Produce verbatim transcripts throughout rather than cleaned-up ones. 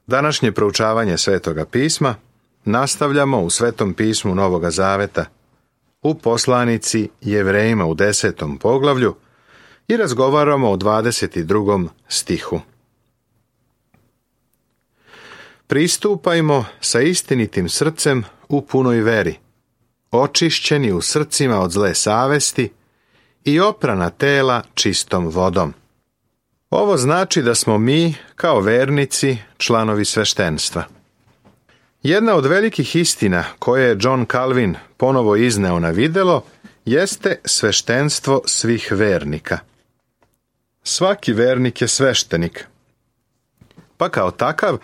Današnje proučavanje Svetoga pisma nastavljamo u Svetom pismu Novoga Zaveta, u poslanici Jevrejima u desetom poglavlju i razgovaramo o dvadeset drugom stihu. Pristupajmo sa istinitim srcem u punoj veri, očišćeni u srcima od zle savesti i oprana tela čistom vodom. Ovo znači da smo mi, kao vernici, članovi sveštenstva. Jedna od velikih istina koje je John Calvin ponovo izneo na videlo jeste sveštenstvo svih vernika. Svaki vernik je sveštenik, pa kao takav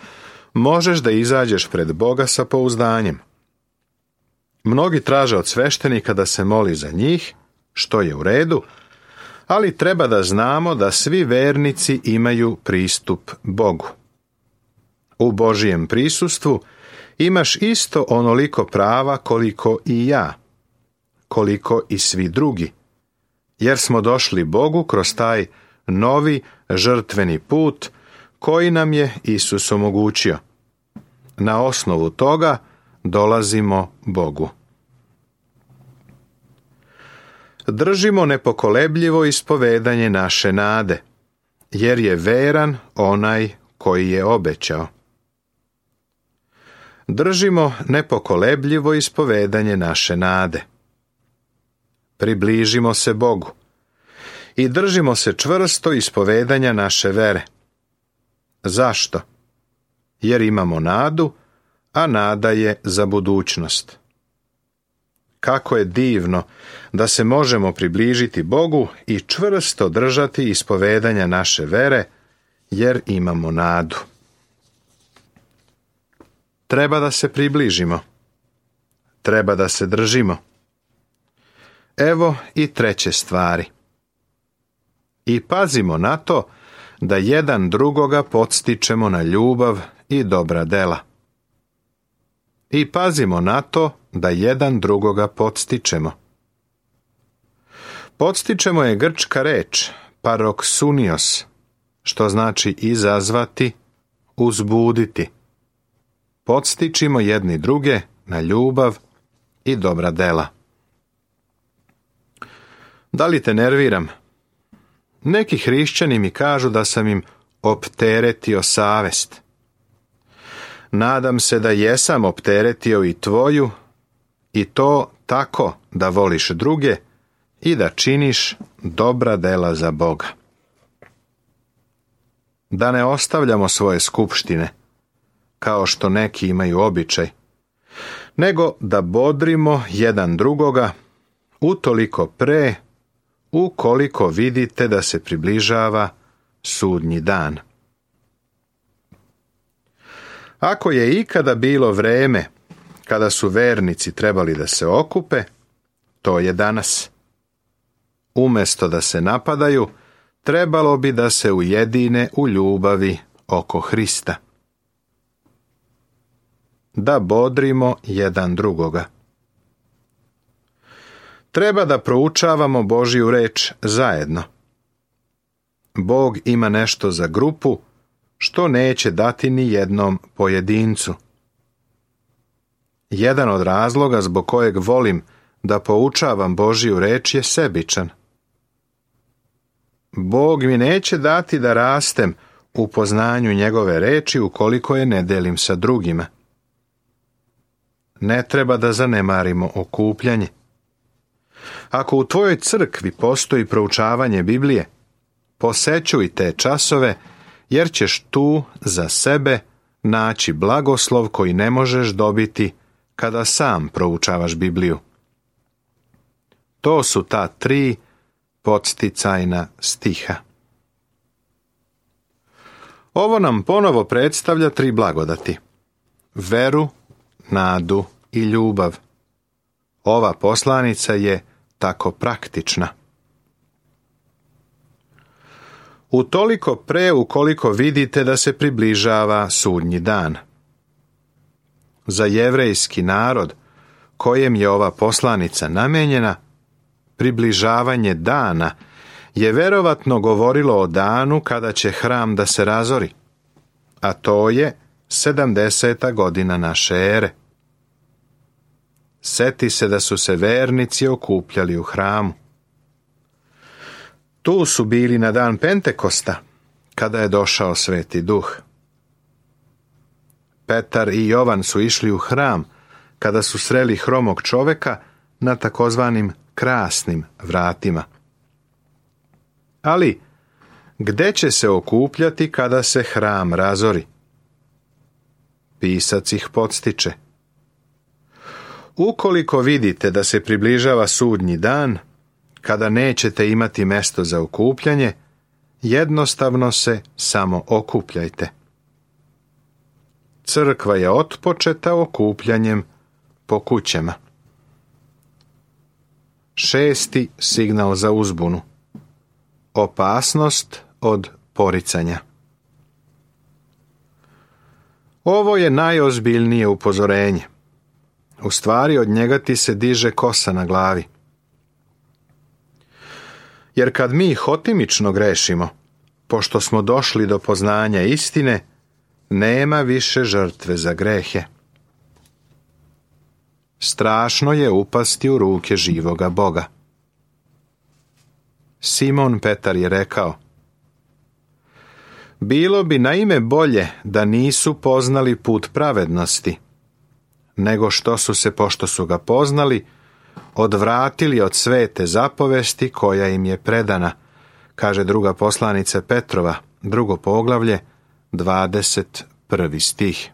možeš da izađeš pred Boga sa pouzdanjem. Mnogi traže od sveštenika da se moli za njih, što je u redu, ali treba da znamo da svi vernici imaju pristup Bogu. U Božijem prisustvu imaš isto onoliko prava koliko i ja, koliko i svi drugi, jer smo došli Bogu kroz taj novi žrtveni put koji nam je Isus omogućio. Na osnovu toga dolazimo Bogu. Držimo nepokolebljivo ispovedanje naše nade, jer je veran onaj koji je obećao. Držimo nepokolebljivo ispovedanje naše nade. Približimo se Bogu i držimo se čvrsto ispovedanja naše vere. Zašto? Jer imamo nadu, a nada je za budućnost. Kako je divno da se možemo približiti Bogu i čvrsto držati ispovedanja naše vere, jer imamo nadu. Treba da se približimo. Treba da se držimo. Evo i treće stvari. I pazimo na to da jedan drugoga podstičemo na ljubav i dobra dela. I pazimo na to da jedan drugoga podstičemo. Podstičemo je grčka reč paroksunios, što znači izazvati, uzbuditi. Podstičimo jedni druge na ljubav i dobra dela. Da li te nerviram? Neki hrišćani mi kažu da sam im opteretio savest. Nadam se da jesam opteretio i tvoju, i to tako da voliš druge i da činiš dobra dela za Boga. Da ne ostavljamo svoje skupštine, kao što neki imaju običaj, nego da bodrimo jedan drugoga utoliko pre, ukoliko vidite da se približava sudnji dan. Ako je ikada bilo vreme kada su vernici trebali da se okupe, to je danas. Umjesto da se napadaju, trebalo bi da se ujedine u ljubavi oko Hrista. Da bodrimo jedan drugoga. Treba da proučavamo Božju reč zajedno. Bog ima nešto za grupu što neće dati ni jednom pojedincu. Jedan od razloga zbog kojeg volim da poučavam Božju reč je sebičan. Bog mi neće dati da rastem u poznanju njegove reči ukoliko je ne delim sa drugima. Ne treba da zanemarimo okupljanje. Ako u tvojoj crkvi postoji proučavanje Biblije, posećuj te časove, jer ćeš tu za sebe naći blagoslov koji ne možeš dobiti kada sam proučavaš Bibliju. To su ta tri podsticajna stiha. Ovo nam ponovo predstavlja tri blagodati. Veru, nadu i ljubav. Ova poslanica je tako praktična. Utoliko pre ukoliko vidite da se približava sudnji dan. Za jevrejski narod, kojem je ova poslanica namenjena, približavanje dana je verovatno govorilo o danu kada će hram da se razori, a to je sedamdeseta godina naše ere. Seti se da su se vernici okupljali u hramu. Tu su bili na dan Pentekosta, kada je došao Sveti Duh. Petar i Jovan su išli u hram, kada su sreli hromog čoveka na takozvanim krasnim vratima. Ali, gde će se okupljati kada se hram razori? Pisac ih podstiče. Ukoliko vidite da se približava sudnji dan, kada nećete imati mesto za okupljanje, jednostavno se samo okupljajte. Crkva je otpočeta okupljanjem po kućama. Šesti signal za uzbunu. Opasnost od poricanja. Ovo je najozbiljnije upozorenje. U stvari od njega ti se diže kosa na glavi. Jer kad mi hotimično grešimo, pošto smo došli do poznanja istine, nema više žrtve za grehe. Strašno je upasti u ruke živoga Boga. Simon Petar je rekao: bilo bi naime bolje da nisu poznali put pravednosti, nego što su se, pošto su ga poznali, odvratili od svete zapovesti koja im je predana, kaže druga poslanica Petrova, drugo poglavlje, dvadeset prvi stih.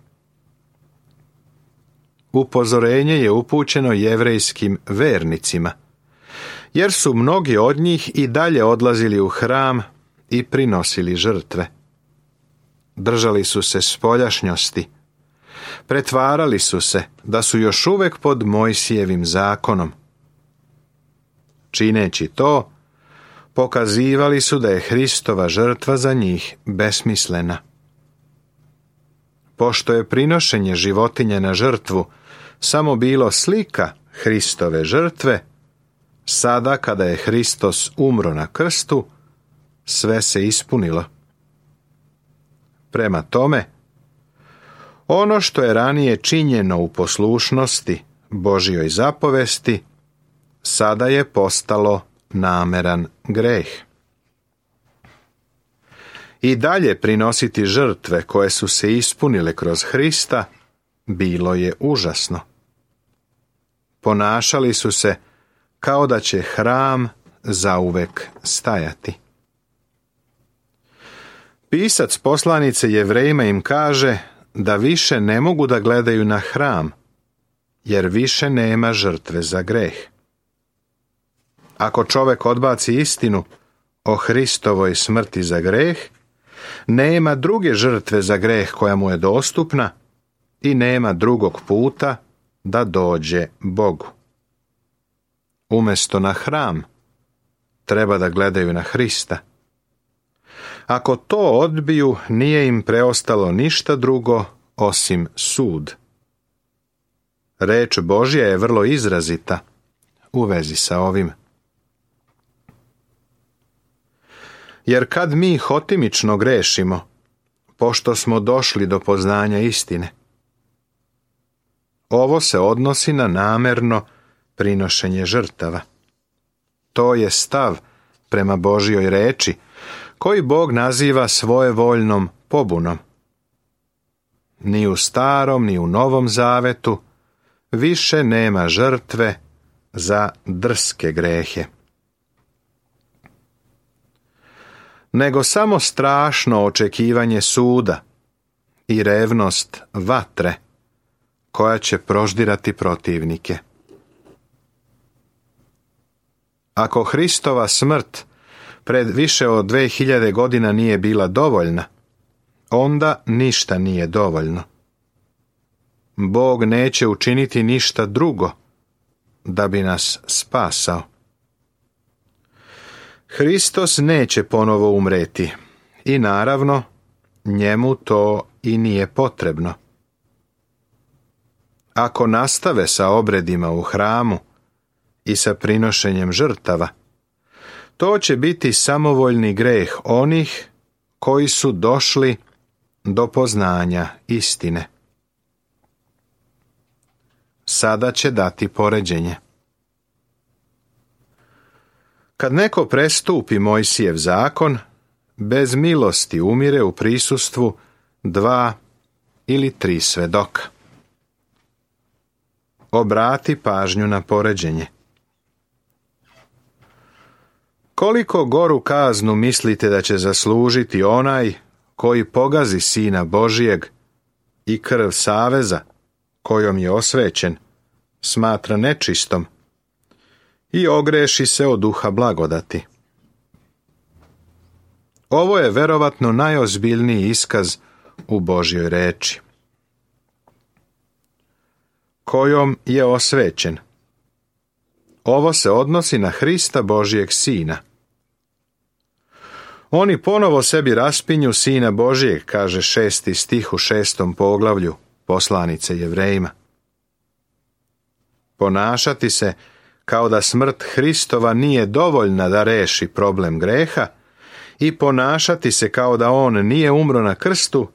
Upozorenje je upućeno jevrejskim vernicima, jer su mnogi od njih i dalje odlazili u hram i prinosili žrtve. Držali su se spoljašnjosti, pretvarali su se da su još uvek pod Mojsijevim zakonom. Čineći to, pokazivali su da je Hristova žrtva za njih besmislena. Pošto je prinošenje životinje na žrtvu samo bilo slika Hristove žrtve, sada kada je Hristos umro na krstu, sve se ispunilo. Prema tome, ono što je ranije činjeno u poslušnosti Božjoj zapovesti, sada je postalo nameran greh. I dalje prinositi žrtve koje su se ispunile kroz Hrista bilo je užasno. Ponašali su se kao da će hram zauvek stajati. Pisac poslanice Jevrejima im kaže da više ne mogu da gledaju na hram, jer više nema žrtve za greh. Ako čovek odbaci istinu o Hristovoj smrti za greh, nema druge žrtve za greh koja mu je dostupna i nema drugog puta da dođe Bogu. Umesto na hram, treba da gledaju na Hrista. Ako to odbiju, nije im preostalo ništa drugo osim sud. Reč Božja je vrlo izrazita u vezi sa ovim. Jer kad mi hotimično grešimo, pošto smo došli do poznanja istine, ovo se odnosi na namerno prinošenje žrtava. To je stav prema Božjoj reči, koji Bog naziva svojevoljnom pobunom. Ni u starom, ni u novom zavetu više nema žrtve za drske grehe, nego samo strašno očekivanje suda i revnost vatre koja će proždirati protivnike. Ako Hristova smrt pred više od dve hiljade godina nije bila dovoljna, onda ništa nije dovoljno. Bog neće učiniti ništa drugo da bi nas spasao. Hristos neće ponovo umreti i naravno njemu to i nije potrebno. Ako nastave sa obredima u hramu i sa prinošenjem žrtava, to će biti samovoljni greh onih koji su došli do poznanja istine. Sada će dati poređenje. Kad neko prestupi Mojsijev zakon, bez milosti umire u prisustvu dva ili tri svedoka. Obrati pažnju na poređenje. Koliko goru kaznu mislite da će zaslužiti onaj koji pogazi Sina Božijeg i krv saveza kojom je osvećen smatra nečistom i ogreši se od duha blagodati? Ovo je verovatno najozbiljniji iskaz u Božjoj reči. Kojom je osvećen. Ovo se odnosi na Hrista Božijeg Sina. Oni ponovo sebi raspinju Sina Božijeg, kaže šesti stih u šestom poglavlju poslanice Jevrejima. Ponašati se kao da smrt Hristova nije dovoljna da reši problem greha i ponašati se kao da on nije umro na krstu,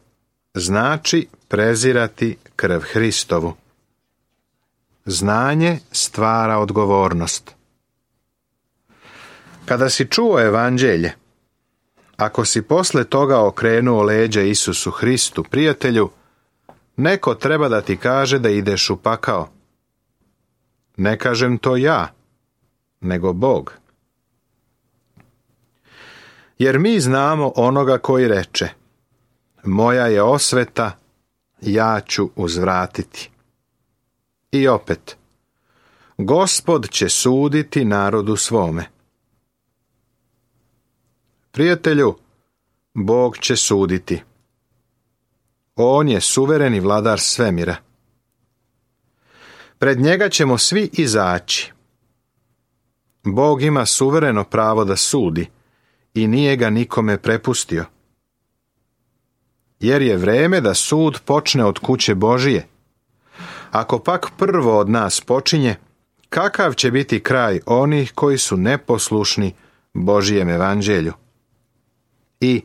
znači prezirati krv Hristovu. Znanje stvara odgovornost. Kada si čuo evanđelje, ako si posle toga okrenuo leđa Isusu Hristu, prijatelju, neko treba da ti kaže da ideš u pakao. Ne kažem to ja, nego Bog. Jer mi znamo onoga koji reče: moja je osveta, ja ću uzvratiti. I opet, Gospod će suditi narodu svome. Prijatelju, Bog će suditi. On je suvereni vladar svemira. Pred njega ćemo svi izaći. Bog ima suvereno pravo da sudi i nije ga nikome prepustio. Jer je vreme da sud počne od kuće Božije. Ako pak prvo od nas počinje, kakav će biti kraj onih koji su neposlušni Božijem evanđelju? I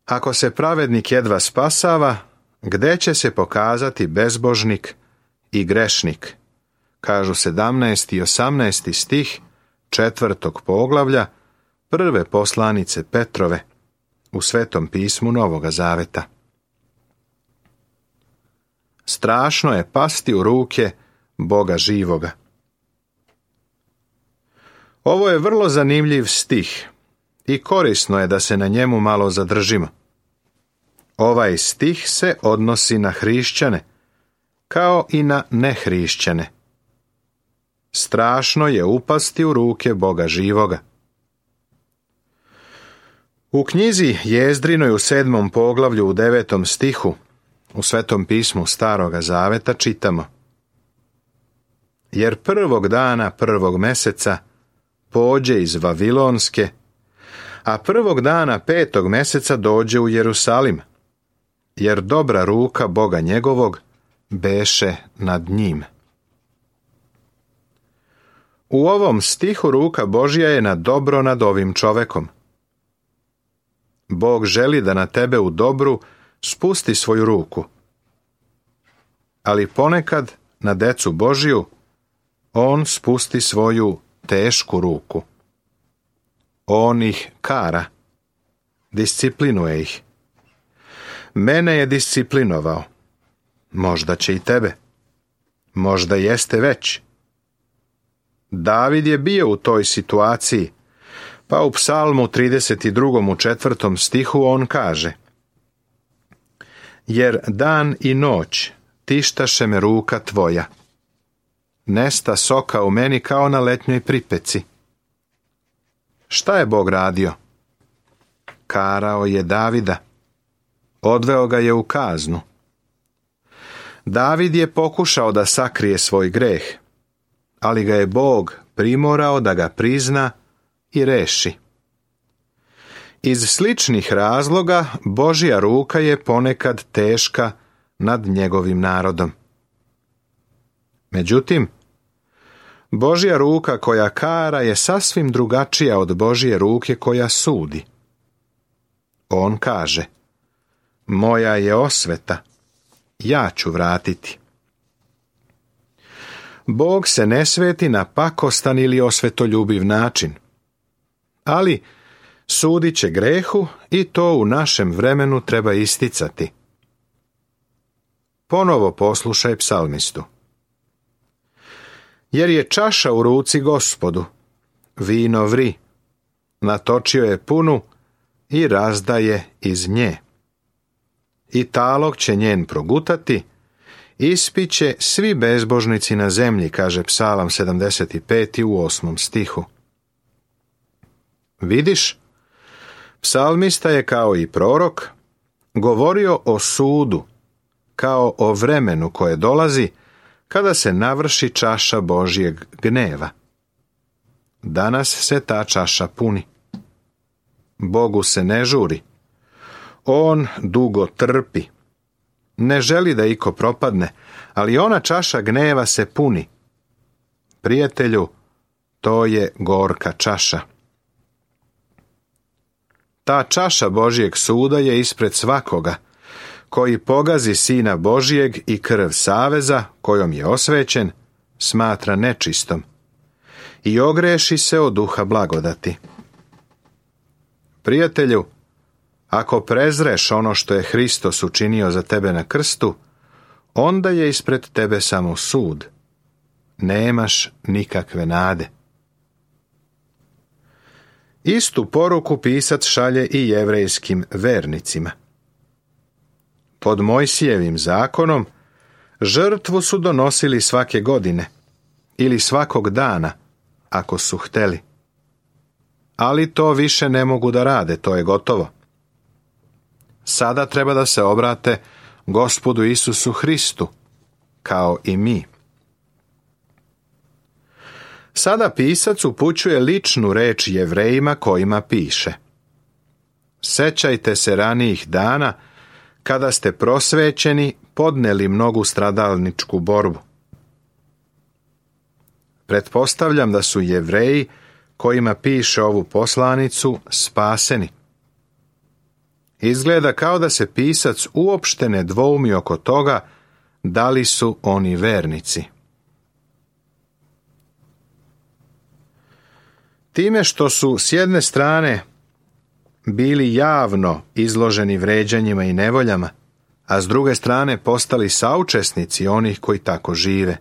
ako se pravednik jedva spasava, gde će se pokazati bezbožnik i grešnik? Kažu sedamnaesti i osamnaesti stih četvrtog poglavlja prve poslanice Petrove u Svetom pismu Novoga Zaveta. Strašno je pasti u ruke Boga živoga. Ovo je vrlo zanimljiv stih i korisno je da se na njemu malo zadržimo. Ovaj stih se odnosi na hrišćane, kao i na nehrišćane. Strašno je upasti u ruke Boga živoga. U knjizi Jezdrinoj u sedmom poglavlju u devetom stihu u Svetom pismu Staroga Zaveta čitamo: jer prvog dana prvog meseca pođe iz Vavilonske, a prvog dana petog meseca dođe u Jerusalim, jer dobra ruka Boga njegovog beše nad njim. U ovom stihu ruka Božja je na dobro nad ovim čovekom. Bog želi da na tebe u dobru spusti svoju ruku. Ali ponekad na decu Božju on spusti svoju tešku ruku. On ih kara, disciplinuje ih. Mene je disciplinovao. Možda će i tebe. Možda jeste već. David je bio u toj situaciji, pa u Psalmu trideset drugom u četvrtom stihu on kaže: jer dan i noć tištaše me ruka tvoja. Nesta soka u meni kao na letnjoj pripeci. Šta je Bog radio? Karao je Davida. Odveo ga je u kaznu. David je pokušao da sakrije svoj greh, ali ga je Bog primorao da ga prizna i reši. Iz sličnih razloga Božja ruka je ponekad teška nad njegovim narodom. Međutim, Božja ruka koja kara je sasvim drugačija od Božje ruke koja sudi. On kaže: moja je osveta, ja ću vratiti. Bog se ne sveti na pakostan ili osvetoljubiv način, ali sudit će grehu i to u našem vremenu treba isticati. Ponovo poslušaj psalmistu. Jer je čaša u ruci Gospodu, vino vri, natočio je punu i razdaje iz nje. I talog će njen progutati, ispiće svi bezbožnici na zemlji, kaže Psalam sedamdeset pet u osmom stihu. Vidiš, psalmista je kao i prorok govorio o sudu, kao o vremenu koje dolazi kada se navrši čaša Božjeg gneva. Danas se ta čaša puni. Bogu se ne žuri. On dugo trpi. Ne želi da iko propadne, ali ona čaša gneva se puni. Prijatelju, to je gorka čaša. Ta čaša Božjeg suda je ispred svakoga, koji pogazi Sina Božjeg i krv saveza, kojom je osvećen, smatra nečistom i ogreši se od duha blagodati. Prijatelju, ako prezreš ono što je Hristos učinio za tebe na krstu, onda je ispred tebe samo sud. Nemaš nikakve nade. Istu poruku pisac šalje i jevrejskim vernicima. Pod Mojsijevim zakonom žrtvu su donosili svake godine ili svakog dana, ako su hteli. Ali to više ne mogu da rade, to je gotovo. Sada treba da se obrate Gospodu Isusu Hristu, kao i mi. Sada pisac upućuje ličnu reč Jevrejima kojima piše: Sećajte se ranijih dana, kada ste prosvećeni podneli mnogu stradalničku borbu. Pretpostavljam da su Jevreji kojima piše ovu poslanicu spaseni. Izgleda kao da se pisac uopšte ne dvoumi oko toga da li su oni vernici. Time što su s jedne strane bili javno izloženi vređanjima i nevoljama, a s druge strane postali saučesnici onih koji tako žive.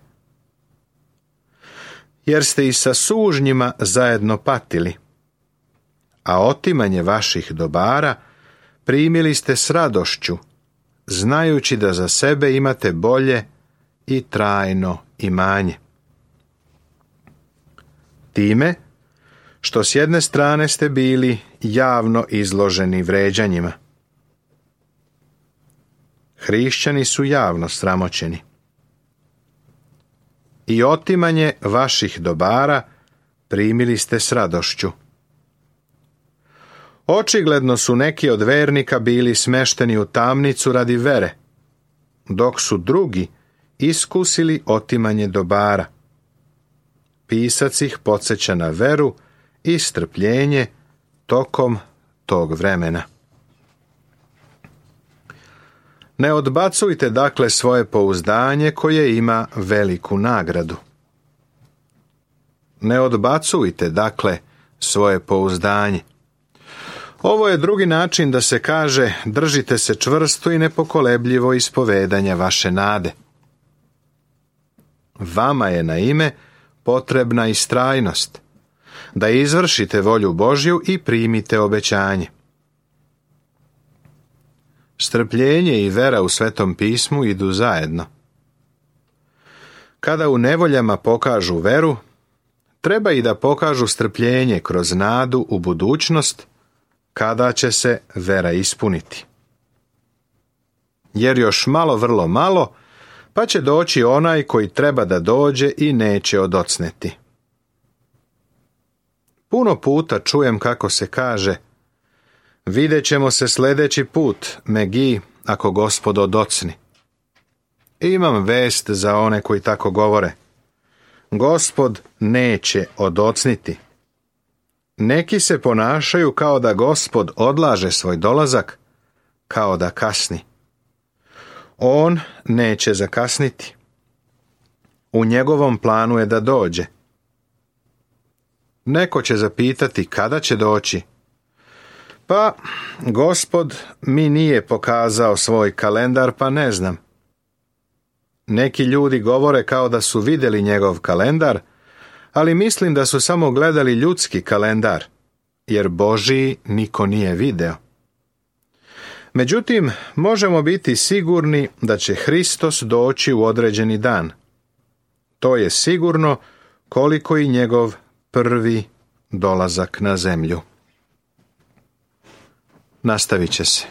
Jer ste i sa sužnjima zajedno patili, a otimanje vaših dobara primili ste s radošću, znajući da za sebe imate bolje i trajno imanje. Time što s jedne strane ste bili javno izloženi vređanjima. Hrišćani su javno sramoćeni. I otimanje vaših dobara primili ste s radošću. Očigledno su neki od vernika bili smešteni u tamnicu radi vere, dok su drugi iskusili otimanje dobara. Pisac ih podsjeća na veru i strpljenje tokom tog vremena. Ne odbacujte dakle svoje pouzdanje koje ima veliku nagradu. Ne odbacujte dakle svoje pouzdanje. Ovo je drugi način da se kaže držite se čvrsto i nepokolebljivo ispovedanja vaše nade. Vama je na ime potrebna istrajnost, da izvršite volju Božju i primite obećanje. Strpljenje i vera u Svetom pismu idu zajedno. Kada u nevoljama pokažu veru, treba i da pokažu strpljenje kroz nadu u budućnost, kada će se vera ispuniti. Jer još malo, vrlo malo, pa će doći onaj koji treba da dođe i neće odocneti. Puno puta čujem kako se kaže: vidjet ćemo se sljedeći put, Megi, ako Gospod odocni. Imam vest za one koji tako govore. Gospod neće odocniti. Neki se ponašaju kao da Gospod odlaže svoj dolazak, kao da kasni. On neće zakasniti. U njegovom planu je da dođe. Neko će zapitati kada će doći. Pa, Gospod mi nije pokazao svoj kalendar, pa ne znam. Neki ljudi govore kao da su vidjeli njegov kalendar, ali mislim da su samo gledali ljudski kalendar, jer Božji niko nije video. Međutim, možemo biti sigurni da će Hristos doći u određeni dan. To je sigurno koliko i njegov prvi dolazak na zemlju. Nastavit će se.